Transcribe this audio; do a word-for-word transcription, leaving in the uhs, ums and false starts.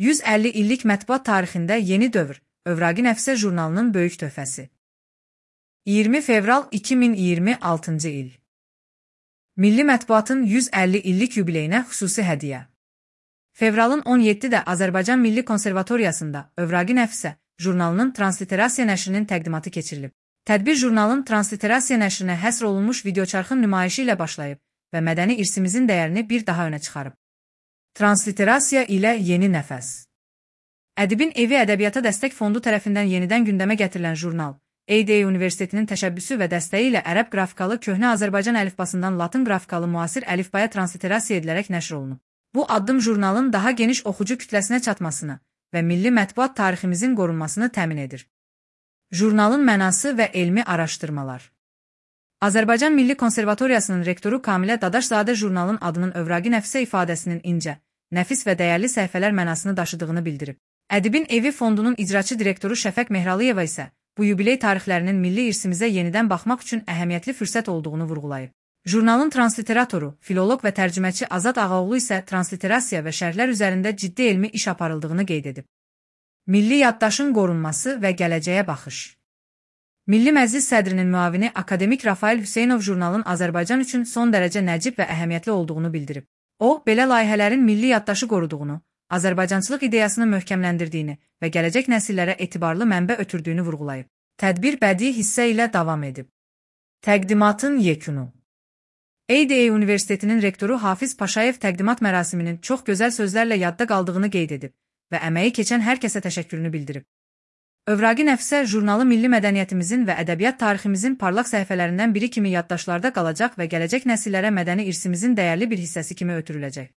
yüz əlli illik mətbuat tarixində yeni dövr, Övraqi Nəfsə jurnalının böyük töhfəsi. iyirmi fevral iki min iyirmi altıncı il. Milli mətbuatın yüz əlli illik yubileyinə xüsusi hədiyyə. Fevralın on yeddidə Azərbaycan Milli Konservatoriyasında Övraqi Nəfsə jurnalının Transliterasiya nəşrinin təqdimatı keçirilib. Tədbir jurnalın Transliterasiya nəşrinə həsr olunmuş videoçarxın nümayişi ilə başlayıb və mədəni irsimizin dəyərini bir daha önə çıxarıb. Transliterasiya ilə yeni nəfəs. Ədibin Evi Ədəbiyyata Dəstək Fondu tərəfindən yenidən gündəmə gətirilən jurnal, A D A Universitetinin təşəbbüsü və dəstəyi ilə ərəb qrafikalı köhnə Azərbaycan əlifbasından latın qrafikalı müasir əlifbaya transliterasiya edilərək nəşr olunub. Bu addım jurnalın daha geniş oxucu kütləsinə çatmasını və milli mətbuat tariximizin qorunmasını təmin edir. Jurnalın mənası və elmi araşdırmalar. Azərbaycan Milli Konservatoriyasının rektoru Kamilə Dadaşzadə jurnalın adının Övraqi Nəfsə ifadəsinin incə, nəfis və dəyərli səhifələr mənasını daşıdığını bildirib. Ədibin Evi Fondunun icraçı direktoru Şəfəq Mehralıyeva isə bu yubiley tarixlərinin milli irsimizə yenidən baxmaq üçün əhəmiyyətli fürsət olduğunu vurğulayıb. Jurnalın transliteratoru, filoloq və tərcüməçi Azad Ağaoğlu isə transliterasiya və şərhlər üzərində ciddi elmi iş aparıldığını qeyd edib. Milli yaddaşın qorunması və gələcəyə baxış. Milli Məclis sədrinin müavini akademik Rafael Hüseynov jurnalın Azərbaycan üçün son dərəcə nəcib və əhəmiyyətli olduğunu bildirib. O, belə layihələrin milli yaddaşı qoruduğunu, Azərbaycançılıq ideyasını möhkəmləndirdiyini və gələcək nəsillərə etibarlı mənbə ötürdüyünü vurğulayıb. Tədbir bədii hissə ilə davam edib. Təqdimatın yekunu. A D A Universitetinin rektoru Hafiz Paşayev təqdimat mərasiminin çox gözəl sözlərlə yadda qaldığını qeyd edib və əməyi keçən hər kəsə təşəkkürünü bildirib. Övraqi Nəfsə jurnalı milli mədəniyyətimizin və ədəbiyyat tariximizin parlaq səhifələrindən biri kimi yaddaşlarda qalacaq və gələcək nəsillərə mədəni irsimizin dəyərli bir hissəsi kimi ötürüləcək.